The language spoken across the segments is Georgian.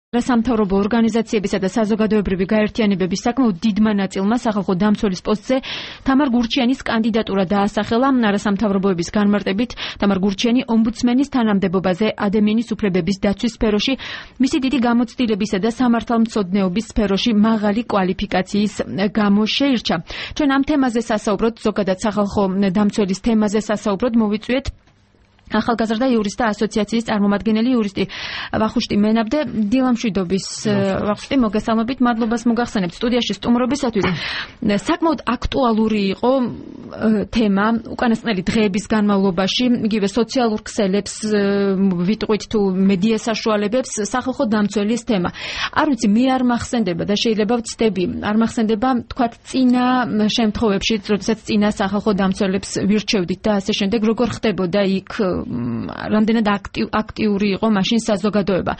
სამთავრობო ორგანიზაციებისა და საზოგადოებრივი გაერთიანებების საკმაოდ დიდმა ნაწილმა სახალხო დამცველის პოსტზე თამარ გურჩიანის კანდიდატურა დაასახელა. არასამთავრობოების განმარტებით თამარ გურჩიანი ომბუდსმენის თანამდებობაზე ადამიანის უფლებების დაცვის სფეროში მისი დიდი გამოცდილებისა და სამართალმცოდნეობის სფეროში მაღალი კვალიფიკაციის გამო შეირჩა. ჩვენ ამ თემაზე სასაუბროდ, ზოგადად სახალხო დამცველის თემაზე სასაუბროდ მოვიწვიეთ ახალგაზრდა იურისტთა ასოციაციის წარმომადგენელი იურისტი ვახუშტი მენაბდე. დილამშვიდობის ვახუშტი, მოგესალმებით, მადლობას მოგახსენებთ სტუდიაში სტუმრობისათვის. საკმაოდ აქტუალური იყო თემა უკანასკნელი დღეების განმავლობაში, იგივე სოციალურ ქსელებს ვიტყვით თუ მედია საშუალებებს სახალხო დამცველის თემა. არ ვიცი, მე არ მახსენდება და შეიძლება ვცდები, არ მახსენდება თქვათ წინა შემთხვევებში, როდესაც წინა სახალხო დამცველებს ვირჩევდით და ასე შემდეგ, როგორ ხდებოდა იქ რამდენად აქტიური იყო მაშინ საზოგადოება.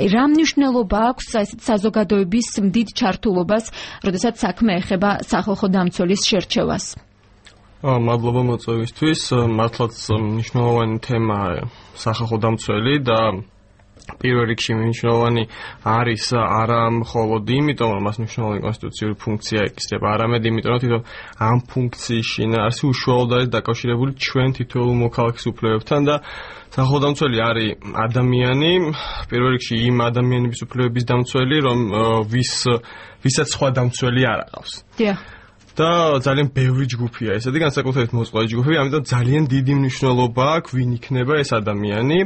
რა მნიშვნელობა აქვს საზოგადოების დიდ ჩართულობას, როდესაც საქმე ეხება სახალხო დამცველის შერჩევას? მადლობა მოწვევისთვის. მართლაც მნიშვნელოვანი თემაა სახალხო დამცველი და პირველ რიგში მნიშვნელოვანი არის არა მხოლოდ იმიტომ, რომ მას მნიშვნელოვანი კონსტიტუციური ფუნქცია ეკისრება, არამედ იმიტომ, რომ თვითონ ამ ფუნქციის შინაარსი უშუალოდ არის დაკავშირებული ჩვენ თითოეულ მოქალაქის უფლებებთან და სახალხო დამცველი არის ადამიანი, პირველ რიგში იმ ადამიანების უფლებების დამცველი, ვისაც სხვა დამცველი არ აყავს. და ძალიან ბევრი ჯგუფია ესეთი, განსაკუთრებით მოწყვლადი ჯგუფები, ამიტომ ძალიან დიდი მნიშვნელობა აქვს ვინ იქნება ეს ადამიანი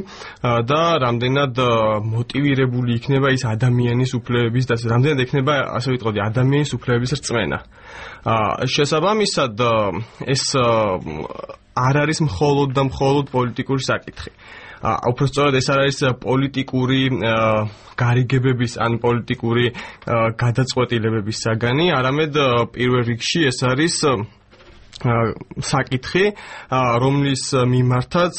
და რამდენად მოტივირებული იქნება ის ადამიანის უფლებების და რამდენად იქნება, ასე ვიტყოდი, ადამიანის უფლებების რწმენა. შესაბამისად, ეს არ არის მხოლოდ და მხოლოდ პოლიტიკური საკითხი. უფრო სწორად ეს არის პოლიტიკური გარიგებების ან პოლიტიკური გადაწყვეტილებების საგანი, არამედ პირველ რიგში ეს არის საკითხი, რომლის მიმართაც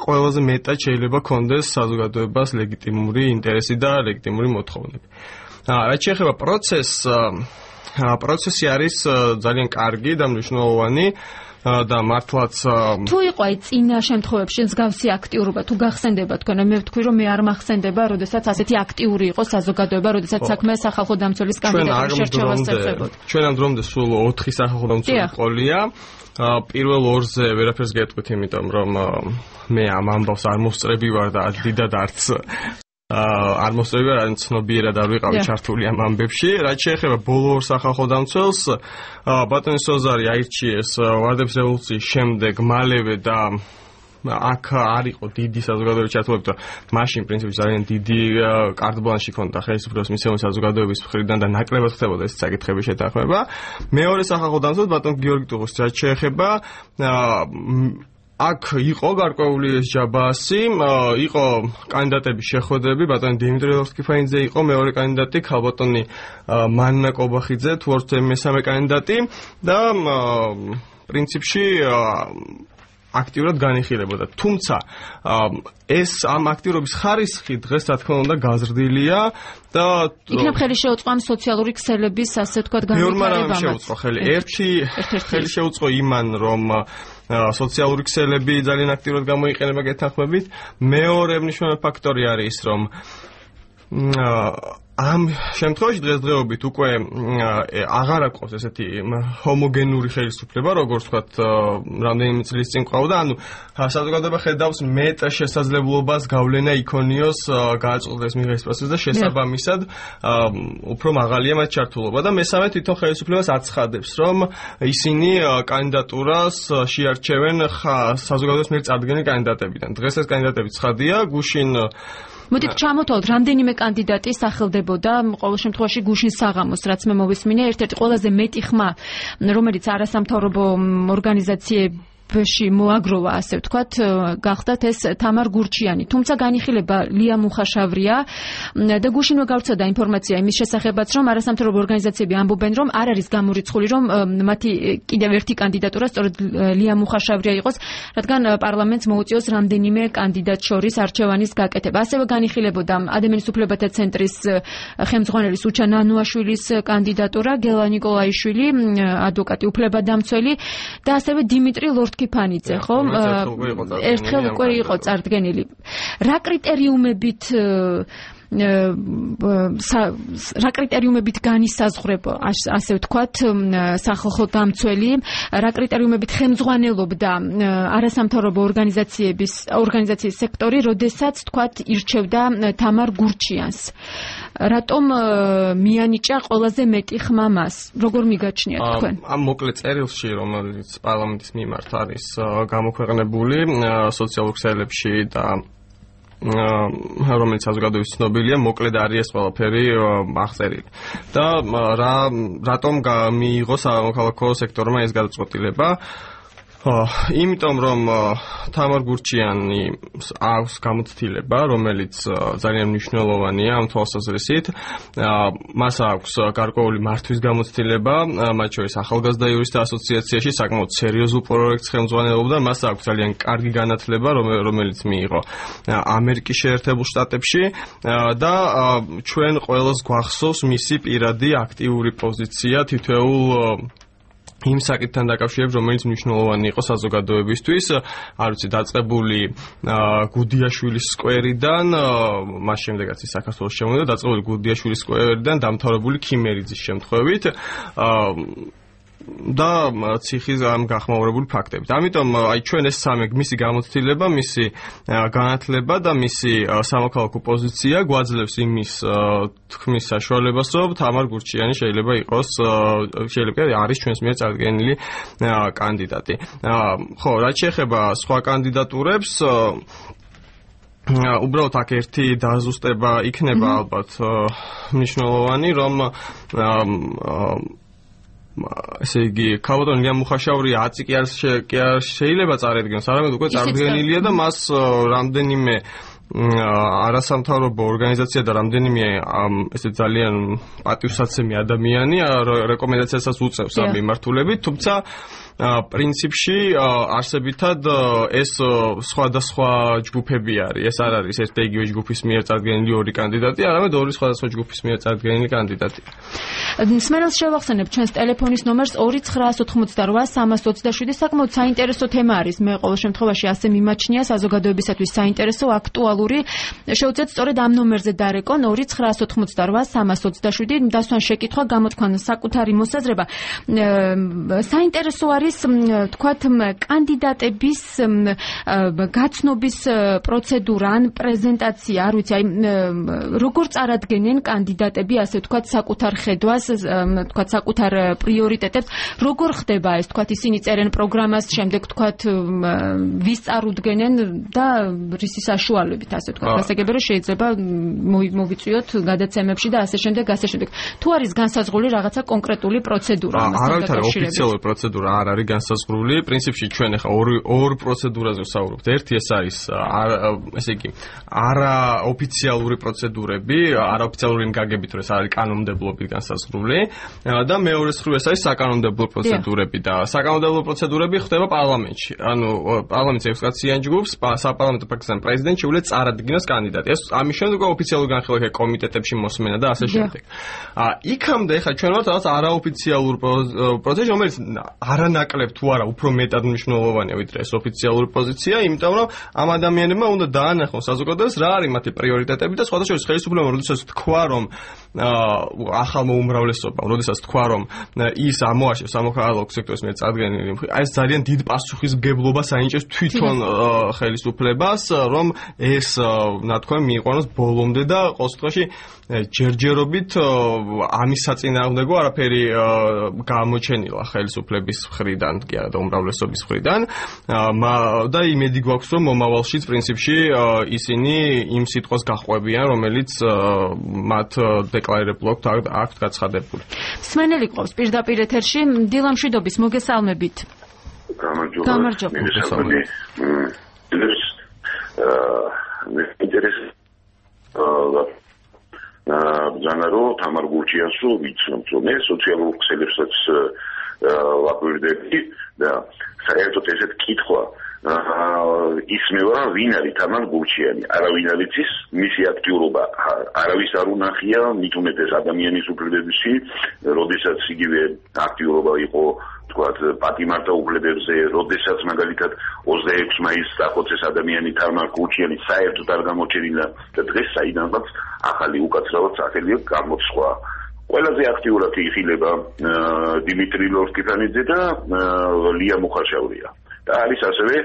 ყველაზე მეტად შეიძლება კონდეს საზოგადოებას ლეგიტიმური ინტერესი და ლეგიტიმური მოთხოვნები. რაც შეეხება პროცესი არის ძალიან კარგი და მნიშვნელოვანი. და მართლაც თუ იყო აი წინა შემთხვევებში მსგავსი აქტიურობა თუ გახსენდება თქვენ, მე ვთქვი რომ მე არ მახსენდება, როდესაც ასეთი აქტიური იყო საზოგადოება, როდესაც საქმე სახალხო დამცველის კანდიდატურის შერჩევას ეხებოდა. ჩვენ ამ დრომდე სულ 4 სახალხო დამცველი ყოლია. პირველ ორზე ვერაფერს გეტყვით, იმიტომ რომ მე ამ ამბავს არ მოსწრები ვარ და დიდად არც არ მოსწრები ვარ, ან ცნობიერად არ ვიყავი ჩართული ამ ამბებში. რაც შეეხება ბოლო ორ სახალხო დამცველს, ბატონი სოზარი აირჩიეს ვარდების რევოლუციის შემდეგ მალევე და აქ არ იყო დიდი საზოგადოებრივი ჩართულობა, მაშინ პრინციპში ძალიან დიდი კარტ-ბლანში ქონდა ხელისუფლების მისცემი საზოგადოების მხრიდან და ნაკლებად ხდებოდა ეს საკითხების შეთანხმება. მეორე სახალხო დამცველს ბატონ გიორგი ტუღუს რაც შეეხება აქ იყო გარკვეული ეს ჯაბასი, იყო კანდიდატების შეხვედრები, ბატონი დიმიტრი ლორსკიფაინძე იყო მეორე კანდიდატი, ქალბატონი მანნა კობახიძე, თუ არ ვთქვი მესამე კანდიდატი და პრინციპში აქტიურად განიხილებოდა. თუმცა ეს ამ აქტიურობის ხარისხი დღეს რა თქმა უნდა გაზრდილია და იქნებ ხელი შეუწყო ამ სოციალური ქსელების, ასე ვთქვათ, განვითარებამ. შეუწყო ხელი. ერთი ხელი შეუწყო იმან, რომ სოციალური ქსელები ძალიან აქტიურად გამოიყენება გეთანხმებით. მეორე მნიშვნელოვანი ფაქტორი არის, რომ ამ შემთხვევაში დღესდღეობით უკვე აღარ აქვს ესეთი ჰომოგენური ხელისუფლება, როგორც ვთქვათ, რამდენიმე წლის წინ ყავდა, ანუ საზოგადოება ხედავს მეტ შესაძლებლობას გავლენა იქონიოს გააწყდეს მიღების პროცესს და შესაბამისად უფრო მაღალია მათ ჩართულობა და მესამე თვითონ ხელისუფლებას აცხადებს, რომ ისინი კანდიდატურას შეარჩევენ საზოგადოების მიერ წარდგენილი კანდიდატებიდან. დღეს ეს კანდიდატები ცხადია, გუშინ მოდით ჩამოთვალოთ, რამდენიმე კანდიდატი სახელდებოდა, ყოველ შემთხვევაში გუშინ საღამოს, რაც მე მოვისმინე, ერთ-ერთი ყველაზე მეტი ხმა, რომელიც არასამთავრობო ორგანიზაციები მოაგროვა, ასე ვთქვათ, გახდათ ეს თამარ გურჩიანი. თუმცა განიხილება ლია მუხაშავრია და გუშინვე გავრცელდა ინფორმაცია იმის შესახებაც, რომ არასამთავრობო ორგანიზაციები ამბობენ, რომ არ არის გამორიცხული, რომ მათი კიდევ ერთი კანდიდატურა სწორედ ლია მუხაშავრია იყოს, რადგან პარლამენტს მოუწიოს რამდენიმე კანდიდატ შორის არჩევანის გაკეთება. ასევე განიხილებოდა ადამიანის უფლებათა ცენტრის ხელმძღვანელის უჩა ნანუაშვილის კანდიდატურა, გელა ნიკოლაიშვილი, ადვოკატი უფლებადამცველი და ასევე დიმიტრი ლორსკიფაინძე, ხო? ერთხელ უკვე იყო წარდგენილი. რა კრიტერიუმებით რა კრიტერიუმებით განისაზღვრება, ასე ვთქვათ, სახალხო დამცველი, რა კრიტერიუმებით ხელმძღვანელობდა არასამთავრობო ორგანიზაციის სექტორი, როდესაც თქვათ ირჩევდა თამარ გურჩიანს. რატომ მიანიჭა ყველაზე მეტი ხმა მას? როგორ მიგაჩნიათ თქვენ? ამ მოკლე წერილში, რომელიც პარლამენტის მიმართ არის გამოქვეყნებული სოციალურ ქსელებში და რომელიც საზოგადოების ცნობილია, მოკლედ არის ეს ყველაფერი აღწერილი. და რატომ მიიღო სამოქალაქო სექტორმა ეს გადაწყვეტილება? იმიტომ რომ თამარ გურჩიანი აქვს გამოცდილება, რომელიც ძალიან მნიშვნელოვანია ამ თვალსაზრისით. მას აქვს გარკვეული მართვის გამოცდილება, მათ შორის ახალგაზრდა იურისტთა ასოციაციაში საკმაოდ სერიოზულ პროექტს ხელმძღვანელობდა, მას აქვს ძალიან კარგი განათლება, რომელიც მიიღო ამერიკის შეერთებულ შტატებში და ჩვენ ყველას გვახსოვს მისი პირადი აქტიური პოზიცია თითოეულ იმ საკითხთან დაკავშირებით, რომელიც მნიშვნელოვანი იყო საზოგადოებისთვის, არ ვიცი, დაწყებული გუდიაშვილის სკვერიდან, მას შემდეგაც ის საქართველოს შემოვიდა, დაწყებული გუდიაშვილის სკვერიდან დამთავრებული ქიმერიძის შემთხვევით და ციხის ამ გახმაურებული ფაქტებით. ამიტომ აი ჩვენ ეს სამი მისი გამოცდილება, მისი განათლება და მისი სამოქალაქო პოზიცია გვაძლევს იმის თქმის საშუალებას, რომ თამარ გურჩიანი შეიძლება არის ჩვენს მიერ წარდგენილი კანდიდატი. ხო, რაც შეეხება სხვა კანდიდატურებს, უბრალოდ აქ ერთი დაზუსტება იქნება ალბათ მნიშვნელოვანი, რომ ესე იგი, ქალბატონი ლია მუხაშაური აწი კი არ შეიძლება წარედგენოს, არამედ უკვე წარდგენილია და მას რამდენიმე არასამთავრობო ორგანიზაცია და რამდენიმე ესე ძალიან პატივსაცემი ადამიანი რეკომენდაციასაც უწევს ამ მიმართულებით, თუმცა პრინციპში არსებითად ეს სხვადასხვა ჯგუფები არის. ეს არ არის ერთ იგივე ჯგუფის მიერ წარდგენილი ორი კანდიდატი, არამედ ორი სხვადასხვა ჯგუფის მიერ წარდგენილი კანდიდატი. მსმენელს შევახსენებ ჩვენს ტელეფონის ნომერს 2988-327. საკმაოდ საინტერესო თემა არის. მე ყოველ შემთხვევაში ასე მიმაჩნია საზოგადოებისათვის საინტერესო, აქტუალური. შევუძლიათ სწორედ ამ ნომერზე დარეკონ 2988-327. დასვან შეკითხვა, გამოთქვან საკუთარი მოსაზრება. საინტერესო არის თქვათ კანდიდატების გაცნობის პროცედურა ან პრეზენტაცია, არ ვიცი, აი როგორ წარადგენენ კანდიდატები, ასე ვთქვათ, საკუთარ ხედვას, თქვათ საკუთარ პრიორიტეტებს, როგორ ხდება ეს, თქვათ ისინი წერენ პროგრამას, შემდეგ თქვათ ვის წარუდგენენ და რისი საშუალებით, ასე ვთქვათ, გასაგებია რომ შეიძლება მოვიწვიოთ გადაცემებში და ასე შემდეგ. თუ არის განსაზღვრული რაღაცა კონკრეტული პროცედურა ამასთან დაკავშირებით? არავითარი ოფიციალური პროცედურა არ არის განსაზღვრული. პრინციპში ჩვენ ახლა ორ პროცედურაზე ვსაუბრობთ. ერთი ეს არის ესე იგი არაოფიციალური პროცედურები, არაოფიციალური გაგებით, რომ ეს არის კანონმდებლობით განსაზღვრული და მეორე მხრივ ეს არის საკანონმდებლო პროცედურები და საკანონმდებლო პროცედურები ხდება პარლამენტში. ანუ პარლამენტის 6 კაციან ჯგუფს საპარლამენტო ფრაქციის პრეზიდენტი შეუძლია წარადგინოს კანდიდატი. ეს ამის შემდეგ ოფიციალური განხილვა კომიტეტებში მოსმენა და ასე შემდეგ. იქამდე ხა ჩვენ ვართ რაღაც არაოფიციალურ პროცესში, რომელიც არანაკლებ თუ არა უფრო მეტად მნიშვნელოვანია ვიდრე ეს ოფიციალური პოზიცია, იმიტომ რომ ამ ადამიანებმა უნდა დაანახონ საზოგადოებას რა არის მათი პრიორიტეტები და სხვადასხვა ხელისუფლებამ როდესაც თქვა რომ ახალმა უმრავლესობამ, როდესაც თქვა რომ ის ამოაშევს სამოქალაქო სექტორის მიერ წარდგენილი, ეს ძალიან დიდ პასუხისმგებლობას აინჭებს თვითონ ხელისუფლებას, რომ ეს ნათქვამი მიიყვანოს ბოლომდე და ყოველ შემთხვევაში ჯერჯერობით ამის საწინააღმდეგო არაფერი გამოჩენილა ხელისუფლების მხრიდან, კი არა და უმრავლესობის მხრიდან და იმედი გვაქვს რომ მომავალშიც პრინციპში ისინი იმ სიტყვას გაჰყვებიან, რომელიც მათ დეკლარირებულად აქვთ გაცხადებული. მსმენელი ყავს პირდაპირ ეთერში, დილა მშვიდობის, მოგესალმებით. გამარჯობა. ბრძანარო თამარ გურჩიანსო ვიცნობ სოციალურ ქსელებსაც ვაკვირდები და საერთოდ ესეთ კითხვა ისმევა ვინ არის თამარ გურჩიანი, არავინ არ იცის მისი აქტიურობა, არავის არ უნახია, მით უმეტეს ადამიანის უფლებებში, როდესაც იგივე აქტიურობა იყო თქვათ პატიმართა უფლებებზე, როდესაც მაგალითად 26 მაისს დახოცეს ადამიანი თამარ გურჩიანი საერთოდ არ გამოჩენილა და დღეს საიდანაც ახალი უკაცრავად სახელი გამოცხვა. ყველაზე აქტიურად იხილება დიმიტრი ლორკიფანიძე და ლია მუხაშავრია. და არის ასევე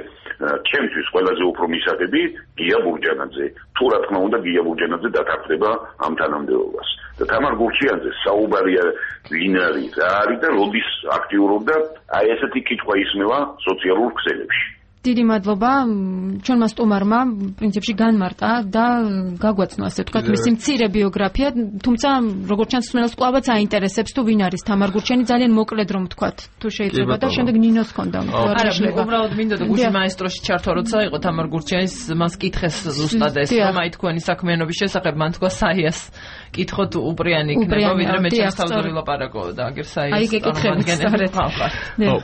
ჩემთვის ყველაზე უფრო მისაღები გია ბურჯანაძე. თუ რა თქმა უნდა გია ბურჯანაძე დათანხმდება ამ თანამდებობას. და თამარ გურჩიანძე საუბარია ვინ არის, რა არის და როდის აქტიურობდა, აი ესეთი კითხვა ისმევა სოციალურ ქსელებში. დიდი მადლობა ჩვენმა სტუმარმა პრინციპში განმარტა და გაგვაცნო ასე ვთქვათ მისი მცირე ბიოგრაფია, თუმცა როგორც ჩანს მსმენელს კვლავაც აინტერესებს თუ ვინ არის თამარ გურჩიანი, ძალიან მოკლედ რომ ვთქვათ თუ შეიძლება და შემდეგ ნინოს ქონდა არა უბრალოდ მინდა და გუშინ მაესტროში ჩართვა როცა იყო თამარ გურჩიანის მას კითხეს ზუსტად ეს რომ აი თქვენი საქმიანობის შესახებ მან თქვა საიას კითხოთ უპრიანი იქნება ვიდრე მე ჩასთავდური ლაპარაკო და აგერ საიას აი გეკითხებით სწორედ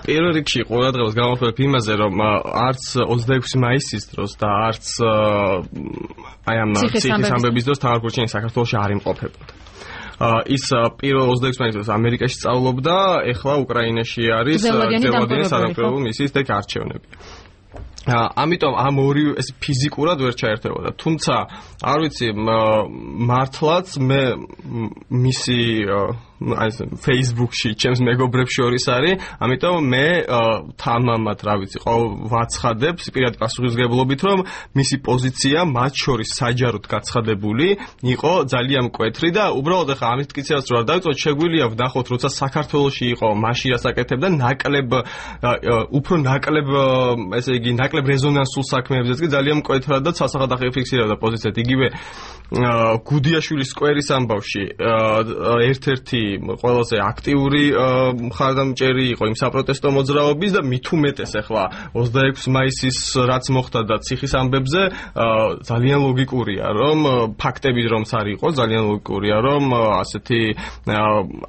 პირველ რიგში ყურადღებას გამოვხმობ იმაზე რომ არც 26 მაისის დროს და არც აი ამ ციხის ამბების დროს თამარ გურჩიანი საქართველოში არ იმყოფებოდა. ის პირველ 26 მაისის დროს ამერიკაში სწავლობდა, ეხლა უკრაინაში არის ზელანდიის სამთავრობო მისიის არჩევნები. ამიტომ ამ ორი ეს ფიზიკურად ვერ ჩაერთებოდა. თუმცა არ ვიცი მართლაც მე მისი აი Facebook-ში ჩემს მეგობრებს შორის არის, ამიტომ მე თამამად რა ვიცი ვაცხადებ პირადი პასუხისმგებლობით რომ მისი პოზიცია მათ შორის საჯაროდ გაცხადებული იყო ძალიან მკვეთრი და უბრალოდ ახლა ამის მტკიცებას რო არ დავიწყოთ შეგვიძლია ვნახოთ როცა საქართველოში იყო მაშინ რას აკეთებდა ნაკლებ უფრო ნაკლებ ესე იგი ნაკლებ რეზონანსულ საქმეებზეც კი ძალიან მკვეთრად და ცალსახად ახიფიქსირებდა პოზიციად იგივე გუდიაშვილის სკვერის ამბავში ერთ-ერთი ყველაზე აქტიური მხარდამჭერი იყო იმ საპროტესტო მოძრაობის და მით უმეტეს ახლა 26 მაისის რაც მოხდა და ციხის ამბებზე ძალიან ლოგიკურია რომ ფაქტები რომც არ იყო ძალიან ლოგიკურია რომ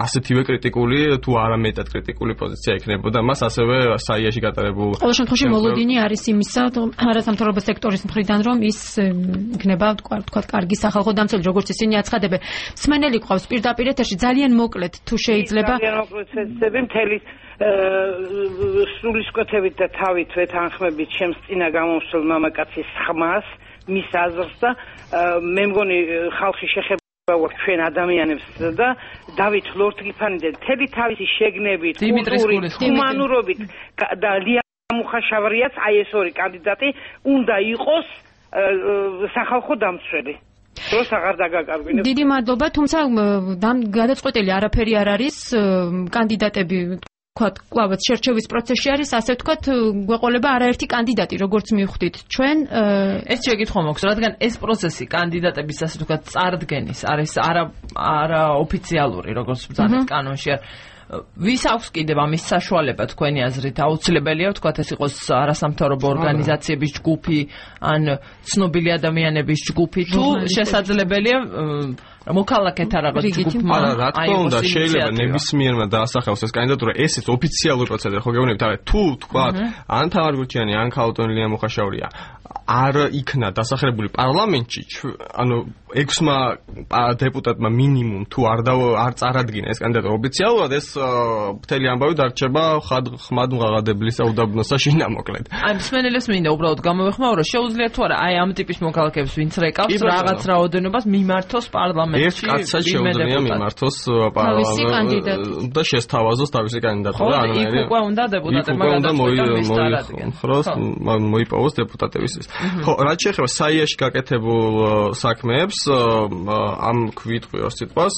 ასეთივე კრიტიკული თუ არა მეტად კრიტიკული პოზიცია ექნებოდა მას ასევე საიაში გატარებულ ყოველ შემთხვევაში მოლოდინი არის იმისა არასამთავრობო სექტორის მხრიდან რომ ის იქნება თქვათ კარგი სახალხო დამცველი როგორც ისინი აცხადებენ. მსმენელი ყავს პირდაპირ ეთერში ძალიან მოკლედ თუ შეიძლება ძალიან მოკლედ შეძები მთელი სულისკვეთებით და თავით ვეთანხმებით ჩემს წინა გამომსვლელ მამაკაცის ხმას მის აზრს და მე მგონი ხალხი შეხება ჩვენ ადამიანებს და დავით ლორკიფანიძე მთელი თავისი შეგნებით კულტურით ჰუმანურობით და ლია მუხაშავრიაც აი ეს ორი კანდიდატი უნდა იყოს სახალხო დამცველი. დროს აღარ დაგაკარგვინებ. დიდი მადლობა, თუმცა გადაწყვეტილი არაფერი არ არის, კანდიდატები ვთქვათ, კლავაც შერჩევის პროცესში არის, ასე ვთქვათ, გვეყოლება არაერთი კანდიდატი, როგორც მივხვდით ჩვენ. ეს შეკითხვა მაქვს, რადგან ეს პროცესი კანდიდატების ასე ვთქვათ წარდგენის არის არა ოფიციალური, როგორც ბრძანეთ კანონში არ ვის აქვს კიდევ ამის საშუალება თქვენი აზრით აუცილებელია ვთქვათ ეს იყოს არასამთავრობო ორგანიზაციების ჯგუფი ან ცნობილი ადამიანების ჯგუფი თუ შესაძლებელია მოქალაქეთა რაღაც ჯგუფმა რა თქმა უნდა შეიძლება ნებისმიერმა დაასახელოს ეს კანდიდატურა ესეც ოფიციალური პროცედურა ხო გეუბნებით თუ თქვათ ან თამარ გურჩიანი ან ქალბატონი მუხაშავრია არ იქნა დასახლებული პარლამენტში ანუ 6-მა დეპუტატმა მინიმუმ თუ არ წარადგინა ეს კანდიდატურა ოფიციალურად ეს მთელი ამბავი დარჩება ხმად მღაღადებლის უდაბნოსა შინამოკლედ. აი მსმენელებს მინდა უბრალოდ გამოვეხმაურო შეუძლია თუ არა აი ამ ტიპის მოქალაქეებს ვინც რეკავს რაღაც რაოდენობას მიმართოს პარლამენტში. ერთ კაცსაც შეუძლია მიმართოს პარლამენტში და შესთავაზოს თავისი კანდიდატურა ანუ იქ უკვე უნდა დეპუტატებმა მოიხსნას მოიპოვოს დეპუტატების ხო რაც შეეხება საიაში გაკეთებულ საქმეებს ამ ქვიტყვიურ სიტყვას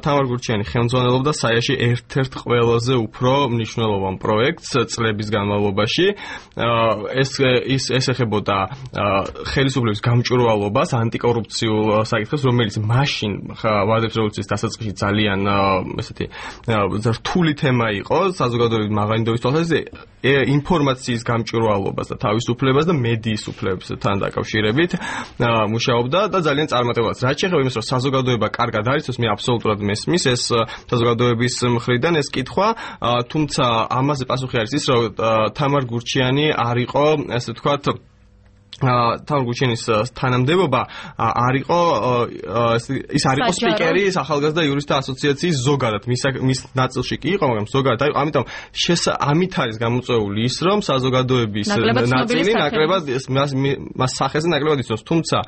თამარ გურჩიანი ხელმძღვანელობდა საიაში ერთ-ერთ ყველაზე უფრო მნიშვნელოვან პროექტს წლების განმავლობაში ეს ეხებოდა ხელისუფლების გამჭვირვალობას ანტიკორუფციულ საკითხებს რომელიც მაშინ ვადებს რევოლუციის დასაწყისში ძალიან ესეთი რთული თემა იყო საზოგადოების მაღალინდობის თვალსაზრისით ინფორმაციის გამჭვირვალობას და თავისუფლებას და მედიის უფლებებთან დაკავშირებით მუშაობდა და ძალიან წარმატებულად. რაც შეეხება იმას, რომ საზოგადოება კარგად არის, მე აბსოლუტურად მესმის ეს საზოგადოების მხრიდან ეს კითხვა, თუმცა ამაზე პასუხი არის ის, რომ თამარ გურჩიანი არ იყო, ასე ვთქვათ, თავი გურჩენის თანამდებობა არ იყო ის არ იყო სპიკერი ახალგაზრდა იურისტთა ასოციაციის ზოგადად მის ნაწილში კი იყო მაგრამ ზოგადად აი ამიტომ ამით არის გამოწვეული ის რომ საზოგადოების ნაწილი ნაკლებად მას სახეზე ნაკლებად იცნობს თუმცა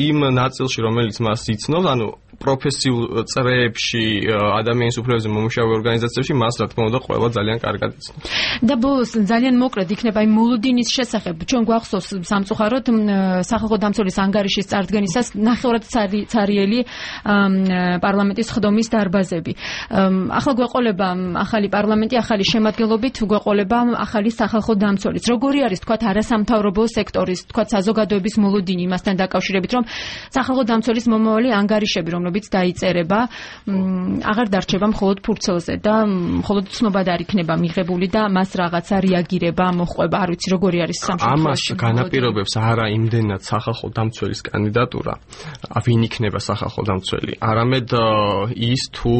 იმ ნაწილში რომელიც მას იცნობს ანუ პროფესიულ წრეებში ადამიანის უფლებებზე მომუშავე ორგანიზაციებში მას რა თქმა უნდა ყველა ძალიან კარგად იცნობს და ბოლოს ძალიან მოკლედ იქნება იმ მოლოდინის შესახებ ჩვენ გვახსოვს სამწუხაროდ სახალხო დამცველის ანგარიშის წარდგენისას ნახევრად ცარიელი პარლამენტის ხდომის დარბაზები. ახლა გვეყოლება ახალი პარლამენტი, ახალი შემადგენლობით გვეყოლება ახალი სახალხო დამცველიც. როგორი არის თქვათ არასამთავრობო სექტორის, თქვათ საზოგადოების მოლოდინი იმასთან დაკავშირებით, რომ სახალხო დამცველის მომავალი ანგარიშები, რომლებიც დაიწერება, აღარ დარჩება მხოლოდ ფურცელზე და მხოლოდ ცნobad არ იქნება მიღებული და მას რაღაცა რეაგირება მოხვება, არ ვიცი როგორი არის სამშობლოში. ამას განაპირობებს არა იმდენად სახალხო დამცველის კანდიდატურა, ვინ იქნება სახალხო დამცველი, არამედ ის თუ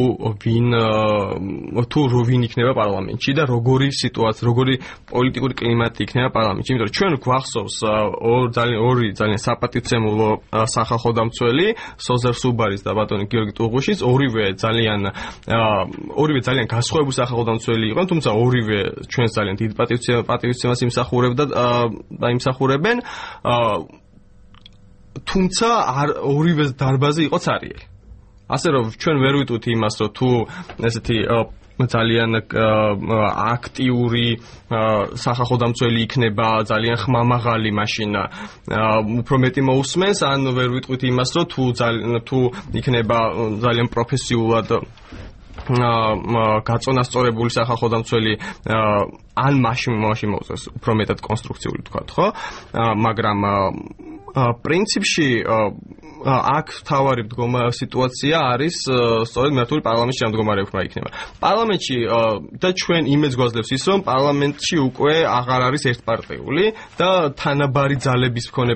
ვინ იქნება პარლამენტში და როგორი სიტუაცია, როგორი პოლიტიკური კლიმატი იქნება პარლამენტში. იმიტომ რომ ჩვენ გვახსოვს ორი ძალიან საპატივცემულო სახალხო დამცველი, სოზერ სუბარის და ბატონი გიორგი ტუღუშის, ორივე ძალიან განსხვავებული სახალხო დამცველი იყვნენ, თუმცა ორივე ჩვენს ძალიან დიდ პატივცემას იმსახურებენ. თუმცა ორივე დარბაზი იყო ცარიელი. ასე რომ ჩვენ ვერ ვიტყვით იმას, რომ თუ ესეთი ძალიან აქტიური სახალხო დამცველი იქნება, ძალიან ხმამაღალი მაშინ უფრო მეტი მოусმენს, ან ვერ ვიტყვით იმას, რომ თუ იქნება ძალიან პროფესიულად გაწონასწორებული სახალხო დამცველი ან მაშინ მოუწევს უფრო მეტად კონსტრუქციული თქვათ, ხო? მაგრამ პრინციპში აქ თავარი სიტუაცია არის სწორედ მართული პარლამენტში მდგომარეობა იქნება. პარლამენტში და ჩვენ იმედს გვაძლევს ის, რომ პარლამენტში უკვე აღარ არის ერთპარტიული და თანაბარი ძალების მქონე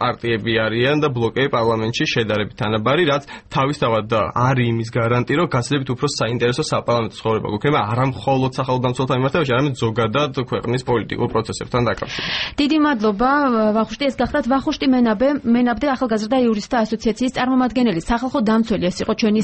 პარტიები არიან და ბლოკები პარლამენტში შედარებით თანაბარი, რაც თავისთავად არის იმის გარანტი, რომ გაცილებით უფრო საინტერესო საპარლამენტო ცხოვრება გვექნება არა მხოლოდ სახელმწიფოთა მიმართებაში, არამედ ზოგადად ქვეყნის პოლიტიკურ პროცესებთან დაკავშირებით. დიდი მადლობა ვახუშტი, ეს გახლავთ ვახუშტი მენაბდე ახალგაზრდა იურისტთა ასოციაციის წარმომადგენელი, სახალხო დამცველი, ეს იყო ჩვენი